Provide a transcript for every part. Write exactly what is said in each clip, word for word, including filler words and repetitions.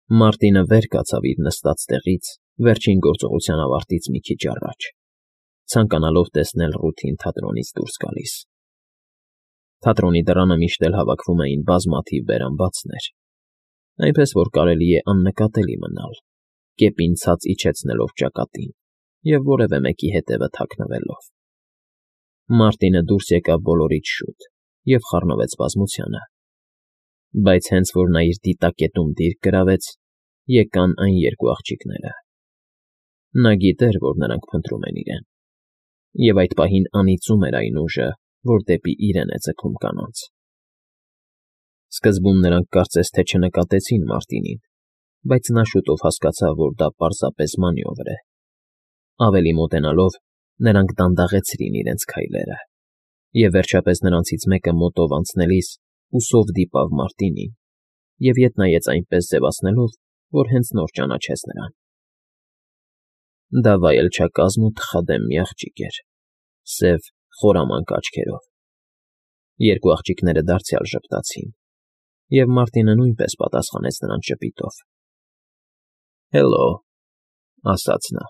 Մարտինը վեր կացավ իր նստած տեղից վերջին գործողության ավարտից մի քիչ առաջ, ցանկանալով տեսնել Ռութին թատրոնից դուրս գալիս։ Թատրոնի դռանը միշտ էլ հավաքվում էին բազմաթիվ բերանբացներ, այնպես որ կարելի է աննկատելի մնալ, կեպին ցած իջեցնելով ճակատին և որևէ մեկի հետևը թաքնվելով։ Մարտինը դուրս եկավ բոլորից շուտ և խառնվեց բազմությանը, բայց հենց որ նա իր դիտակետում դիրք գրավեց, եկան այն երկու աղջիկները։ Նա գիտեր, որ նրանք փնտրում են իրեն, և այդ պահին անիծում էր այն ուժը, որ դեպի իրեն է ձգում կանանց։ Սկզբում նրանք կարծես թե չնկատեցին Մարտինին, բայց նա շուտով հասկացավ, որ դա պարզապես մանևր է։ Ավելի մոտենալով, նրանք դանդաղեցրին իրենց քայլերը, և վերջապես նրանցից մեկը մոտով անցնելիս ուսով դիպավ Մարտինին և ետ նայեց այնպես ձևացնելով, որ հենց նոր ճանաչեց նրան։ Դա վայելչակազմ ու թխադեմ մի աղջիկ էր, սև, խորամանկ աչքերով։ Երկու աղջիկները դարձյալ ժպտացին, և Մարտինը նույնպես պատասխանեց նրանց ժպիտով։ ֊ Հելլո, ֊ ասաց նա։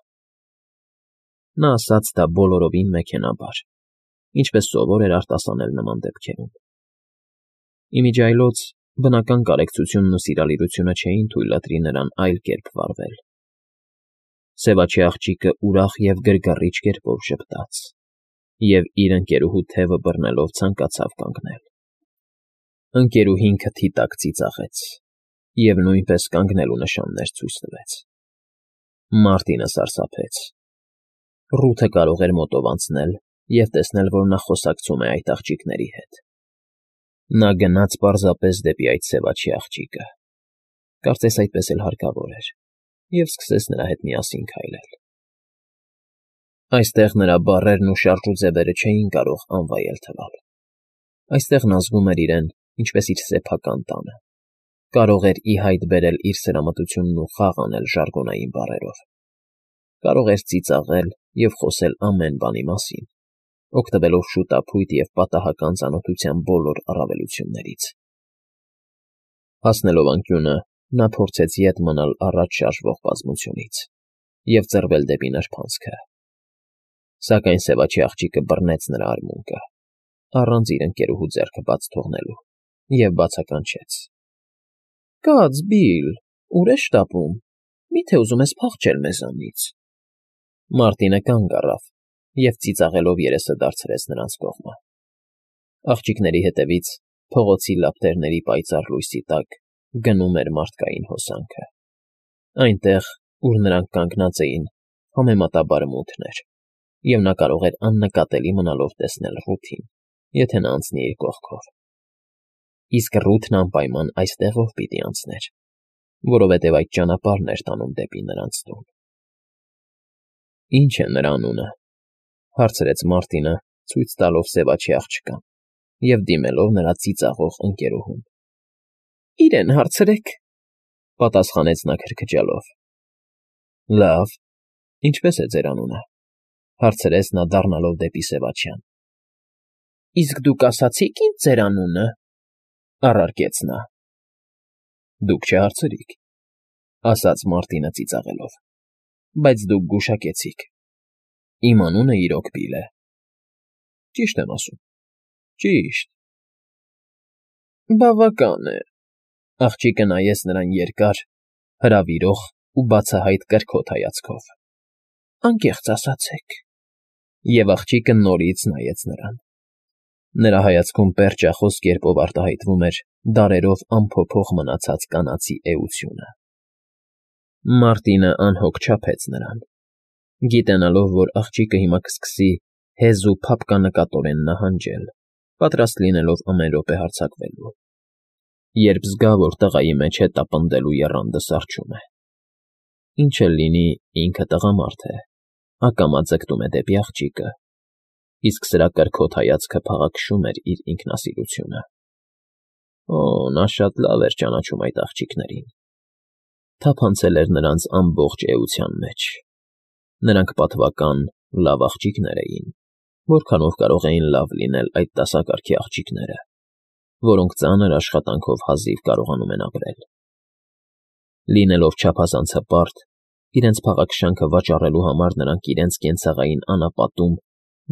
Նա ասաց դա բոլորովին մեքենայաբար, ինչպես սովոր էր արտասանել նման դեպքերում։ Ի միջի այլոց բնական կարեկցությունն ու սիրալիրությունը չէին թույլ տալի նրան այլ կերպ վարվել։ Սևաչի աղջիկը ուրախ և գրգռիչ կերպով ժպտաց և, իր ընկերուհու թևը բռնելով, ցանկացավ կանգնել։ Ընկերուհին քթի տակ ծիծաղեց և նույնպես կանգնելու նշաններ ցույց տվեց։ Մարտինը սարսափեց։ Ռութը կարող էր մոտով անցնել և տեսնել, որ նա խոսակցում է այդ աղջիկների հետ։ Նա գնաց պարզապես դեպի այդ սևաչի աղջիկը, կարծես այդպես էլ հարկավոր էր, և սկսեց նրա հետ միասին քայլել։ Այստեղ նրա բառերն ու շարժուձևերը չէին կարող անվայել թվալ։ Այստեղ նա զգում էր իրեն ինչպես իր սեփական տանը, կարող էր ի հայտ բերել իր սրամտությունն ու խաղ անել ժարգոնային բառերով, կարող էր ծիծաղել և խոսել ամեն բանի մասին, օգտվելով շուտափույթ և պատահական ծանոթության բոլոր առավելություններից։ Հասնելով անկյունը, նա փորձեց ետ մնալ առաջ շարժվող բազմությունից և ծռվել դեպի նրբանցքը, սակայն սևաչի աղջիկը բռնեց նրա արմունկը, առանց իր ընկերուհու ձեռքը բաց թողնելու, և բացականչեց. ֊ Կաց, Բիլլ, ուր ես շտապում, մի՞թե ուզում ես փախչել մեզանից։ Մարտինը կանգ առավ և ծիծաղելով երեսը դարձրեց նրանց կողմը։ Աղջիկների հետևից, փողոցի լապտերների պայծառ լույսի տակ, գնում էր մարդկային հոսանքը։ Այնտեղ, ուր նրանք կանգնած էին, համեմատաբար մութն էր, և նա կարող էր աննկատելի մնալով տեսնել Ռութին, եթե նա անցնի իր կողքով։ Իսկ Ռութն անպայման այստեղով պիտի անցներ, որովհետև այդ ճանապարհն էր տանում դեպի նրանց տուն։ ֊ Ի՞նչ է նրա անունը, ֊ հարցրեց Մարտինը, ցույց տալով սևաչի աղջկան և դիմելով նրա ծիծաղող ընկերուհուն։ ֊ Իրեն հարցրեք, ֊ պատասխանեց նա քրքջալով։ ֊ Լավ, ինչպե՞ս է ձեր անունը, ֊ հարցրեց նա դառնալով դեպի սևաչյան։ ֊ Իսկ դուք ասացի՞ք ինձ ձեր անունը, ֊ առարկեց նա։ ֊ Դուք չհարցրիք, ֊ ասաց Մարտինը ծիծաղելով, ֊ բայց դուք գուշակեցիք. իմ անունը իրոք Բիլլ է։ ֊ Ճիշտ եմ ասում։ ֊ Ճիշտ։ ֊ Բավական է, ֊ աղջիկը նայեց նրան երկար, հրավիրող ու բացահայտ կրքոտ հայացքով։ ֊ Անկեղծ ասացեք։ Եվ աղջիկը նորից նայեց նրան։ Նրա հայացքում պերճախոս կերպով արտահայտվում էր դարերով անփոփոխ մնացած կանացի էությունը։ Մարտինը անհոգ չափեց նրան, գիտենալով, որ աղջիկը հիմա կսկսի հեզ ու փափկանկատորեն նահանջել, պատրաստ լինելով ամեն րոպե հարձակվելու։ Երբ զգա, որ տղայի մեջ հետապնդելու եռանդը սառչում է։ Ինչ էլ լինի, ինքը տղամարդ է, ակամա ձգտում է դեպի աղջիկը, իսկ սրա կրքոտ հայացքը փաղաքշում էր իր ինքնասիրությունը։ Օ, նա շատ լավ էր ճանաչում այդ աղջիկներին, թափանցել էր նրանց ամբողջ էության մեջ։ Նրանք պատվական լավ աղջիկներ էին, որքանով կարող էին լավ լինել այդ դասակարգի աղջիկները, որոնք ծանր աշխատանքով հազիվ կարողանում են ապրել։ Լինելով չափազանց հպարտ, իրենց փաղաքշանքը վաճառելու համար նրանք իրենց կենցաղային անապատում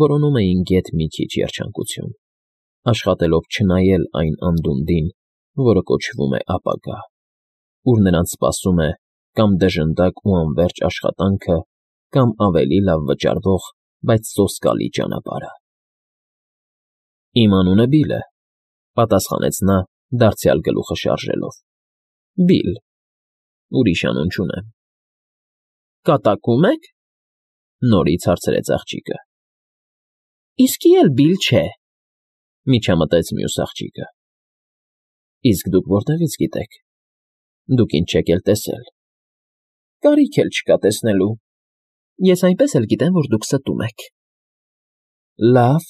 որոնում էին գեթ մի քիչ երջանկություն, աշխատելով չնայել այն անդունդին, որը կոչվում է ապագա, ուր նրանց սպասում է կամ դժնդակ ու անվերջ աշխատանքը, կամ ավելի լավ վճարվող, բայց սոսկալի ճանապարհը։ Իմ անունը Բիլ է,֊ պատասխանեց նա, դարձյալ գլուխը շարժելով։ Բիլ, ուրիշ անուն չունեմ։ Կատակում եք,֊ նորից հարցրեց աղջիկը։ Իսկի էլ Բիլ չէ,֊ միջամտեց մյուս աղջիկը։ Իսկ դուք որտեղից գիտեք։ Դուք ինձ չեք էլ տեսել։ Կարիք էլ չկա տեսնելու։ Ես այնպես էլ գիտեմ, որ դուք ստում եք։ Լավ,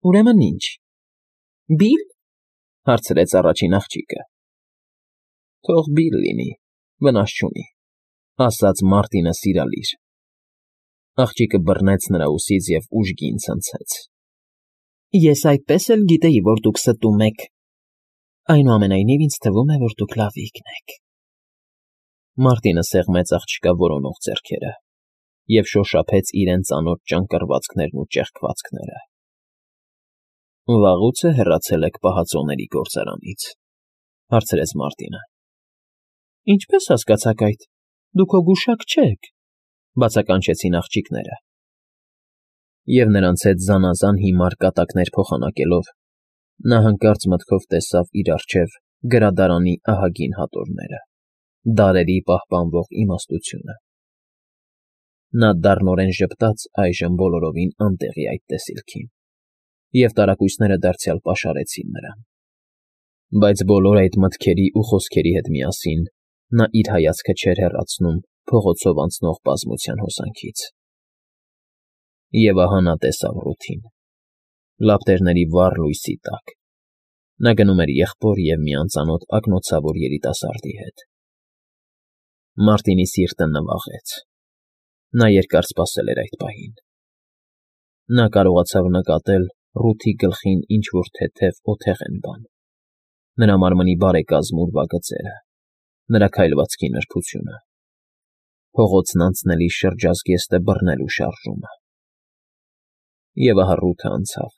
ուրեմն ինչ։ Բիլ,֊ հարցրեց առաջին աղջիկը։ Թող Բիլ լինի, վնաս չունի,֊ ասաց Մարտինը սիրալիր։ Աղջիկը բռնեց նրա ուսից և ուժգին ցնցեց։ Ես այդպես էլ գիտեի, որ դուք ստում եք։ Այնուամենայնիվ ինձ թվում է, որ դուք լավիկն եք։ Մարտինը սեղմեց աղջկա որոնող ձեռքերը և շոշափեց իրեն ծանոթ ճանկռվածքներն ու ճեղքվածքները։ Վաղուց է հեռացել եք պահածոների գործարանից,֊ հարցրեց Մարտինը։ Ինչպես հասկացաք այդ, դուք հո գուշակ չեք,֊ բացականչեցին աղջիկները։ Եվ նրանց հետ զանազան հիմար կատակներ փոխանակելով, նա հանկարծ մտքով տեսավ իր առջև գրադարանի ահագին հատորները, դարերի պահպանվող իմաստությունը։ Նա դառնորեն ժպտաց այժմ բոլորովին անտեղի այդ տեսիլքին, և տարակույսները դարձյալ պաշարեցին նրան։ Բայց բոլոր այդ մտքերի ու խոսքերի հետ միասին նա իր հայացքը չէր հեռացնում փողոցով անցնող բազմության հոսանքից։ Եվ ահա նա տեսավ Ռութին, լապտերների վառ լույսի տակ։ Նա գնում էր եղբոր և մի անծանոթ ակնոցավոր երիտասարդի հետ։ Մարտինի սիրտը նվաղեց։ Նա երկար սպասել էր այդ պահին։ Նա կարողացավ նկատել Ռութի գլխին ինչ֊որ թեթև օթեղեն բան, նրա մարմնի բարեկազմ ուրվագծերը, նրա քայլվածքի նրբությունը, փողոցն անցնելիս շրջազգեստը բռնելու շարժումը։ Եվ ահա Ռութը անցավ,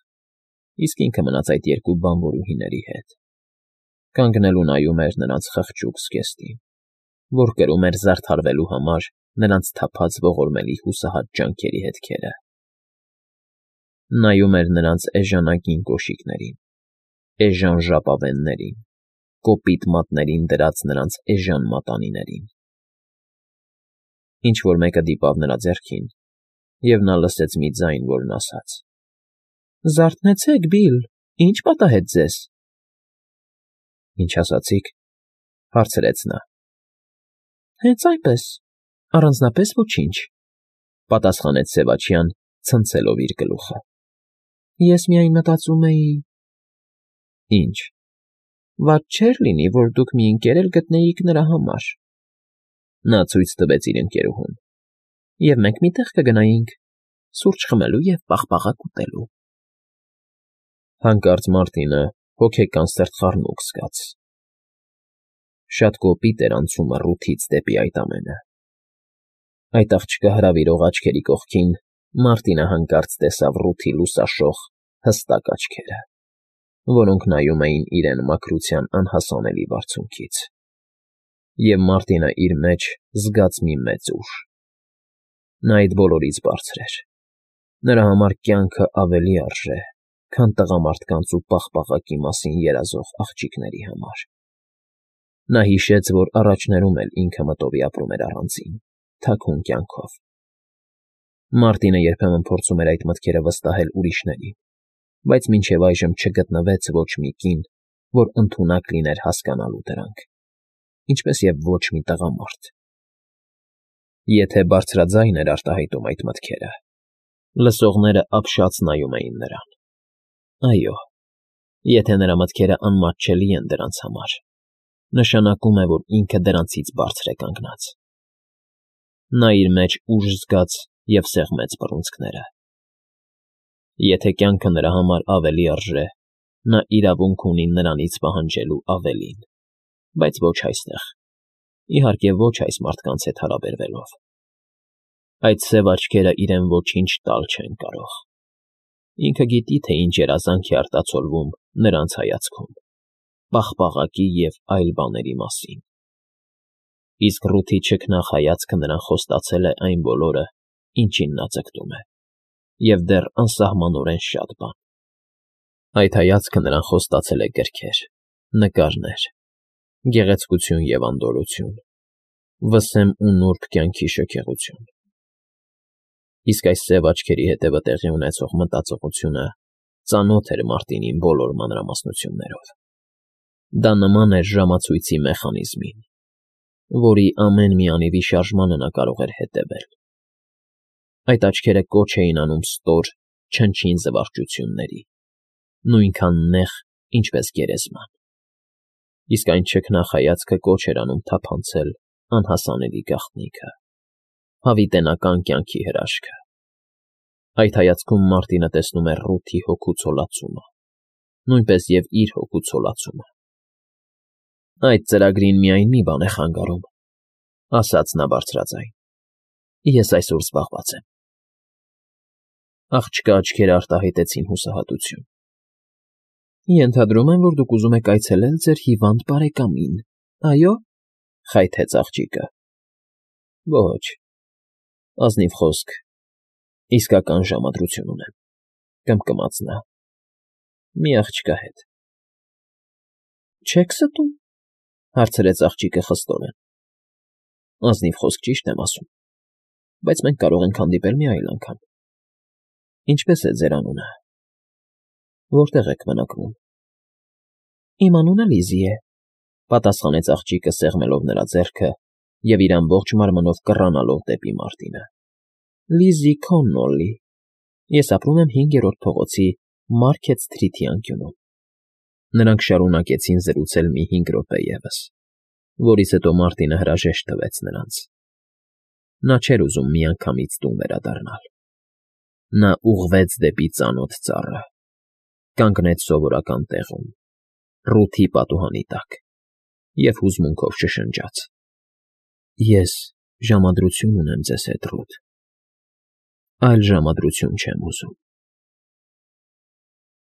իսկ ինքը մնաց այդ երկու բանվորուհիների հետ, կանգնել ու նայում էր նրանց խղճուկ զգեստին, որ կրում էր զարդարվելու համար նրանց թափած ողորմելի հուսահատ ջանքերի հետքերը։ Նայում էր նրանց էժանագին կոշիկներին, էժան ժապավեններին, կոպիտ մատներին դրած նրանց էժան մատանիներին։ Ինչ֊որ մեկը դիպավ նրա ձեռքին, և նա լսեց մի ձայն, որն ասաց. Զարթնեցեք, Բիլ, ի՞նչ պատահեց ձեզ։ Ինչ ասացիք,֊ հարցրեց նա։ Հենց այնպես, առանձնապես ոչինչ,֊ պատասխանեց սևաչյան, ցնցելով իր գլուխը։ Ես միայն մտածում էի… Ինչ։ Վատ չէր լինի, որ դուք մի ընկեր էլ գտնեիք նրա համար։ Նա ցույց տվեց իր ընկերուհուն։ Եվ մենք մի տեղ կգնայինք, սուրճ խմելու և պաղպաղակ ուտելու։ Հանկարծ Մարտինը հոգեկան սրտխառնոք զգաց։ Շատ կոպիտ էր անցումը Ռութից դեպի այդ ամենը։ Այդ աղջկա հրավիրող աչքերի կողքին Մարտինը հանկարծ տեսավ Ռութի լուսաշող, հստակ աչքերը, որոնք նայում էին իրեն մաքրության անհասանելի բարձունքից։ Եվ Մարտինը իր մեջ զգաց մի մեծ ուժ։ Նա այդ բոլորից բարձր էր։ Նրա համար կյանքը ավելի արժե, քան տղամարդկանց ու պաղպաղակի մասին երազող աղջիկների համար։ Նա հիշեց, որ առաջներում էլ ինքը մտովի ապրում էր առանձին, թաքուն կյանքով։ Մարտինը երբեմն փորձում էր այդ մտքերը վստահել ուրիշներին, բայց մինչև այժմ չգտնվեց ոչ մի կին, որ ընդունակ լիներ հասկանալու դրանք, ինչպես և ոչ մի տղամարդ։ Եթե բարձրաձայն էր արտահայտում այդ մտքերը, լսողները ապշած նայում էին նրան։ Այո, եթե նրա մտքերը անմատչելի են դրանց համար, նշանակում է, որ ինքը դրանցից բարձր է կանգնած։ Նա իր մեջ ուժ զգաց և սեղմեց բռունցքները։ Եթե կյանքը նրա համար ավելի արժե, նա իրավունք ունի նրանից պահանջելու ավելին, բայց ոչ այստեղ, Իհարկե ոչ այս մարդկանց հետ հարաբերվելով։ Այդ սև աչքերը իրեն ոչինչ տալ չեն կարող։ Ինքը գիտի, թե ինչ երազանք է արտացոլվում նրանց հայացքում, պաղպաղակի և այլ բաների մասին։ Իսկ Ռութի չքնաղ հայացքը նրան խոստացել է այն բոլորը, ինչին նա ձգտում է, և դեռ անսահմանորեն շատ բան։ Այդ հայացքը նրան խոստացել է գրքեր, նկարներ, գեղեցկություն և անդորրություն, վսեմ ու նուրբ կյանքի շքեղություն։ Իսկ այս սև աչքերի հետևը տեղի ունեցող մտածողությունը ծանոթ էր Մարտինին բոլոր մանրամասնություններով։ Դա նման էր ժամացույցի մեխանիզմին, որի ամեն մի անիվի շարժմանը նա կարող էր հետևել։ Այդ աչքերը կոչ էին անում ստոր, չնչին զվարճությունների, նույնքան նեղ, ինչպես գերեզման։ Իսկ այն չքնաղ հայացքը կոչ էր անում թափանցել անհասանելի գաղտնիքը, հավիտենական կյանքի հրաշքը։ Այդ հայացքում Մարտինը տեսնում էր Ռութի հոգու ցոլացումը, նույնպես և իր հոգու ցոլացումը։ Այդ ծրագրին միայն մի բան է խանգարում, ասաց նա բարձրաձայն. ես այսօր զբաղված եմ։ Աղջկա աչքերը արտահայտեցին հուսահատություն։ Ենթադրում եմ, որ դուք ուզում եք այցելել ձեր հիվանդ բարեկամին, այո՞, խայթեց աղջիկը։ Ոչ, ազնիվ խոսք, իսկական ժամադրություն ունեմ, կմկմաց նա, մի աղջկա հետ։ Չե՞ք ստում, հարցրեց աղջիկը խստորեն։ Ազնիվ խոսք, ճիշտ եմ ասում, բայց մենք կարող ենք հանդիպել մի այլ անգամ։ Ինչպե՞ս է ձեր անունը, որտե՞ղ եք բնակվում։ Իմ անունը Լիզի է, պատասխանեց աղջիկը սեղմելով նրա ձեռքը և իր ամբողջ մարմնով կռանալով դեպի Մարտինը։ Լիզի Քոննոլլի, ես ապրում եմ հինգերորդ փողոցի Մարքեթ Սթրիթի անկյունում։ Նրանք շարունակեցին զրուցել մի հինգ րոպե ևս, որից հետո Մարտինը հրաժեշտ տվեց նրանց։ Նա չէր ուզում միանգամից տուն վերադառնալ։ Նա ուղղվեց դեպի ծանոթ ծառը, կանգնեց սովորական տեղում, Ռութի պատուհանի տակ, և հուզմունքով շշնջաց. Ես ժամադրություն ունեմ ձեզ հետ, Ռութ, այլ ժամադրություն չեմ ուզում։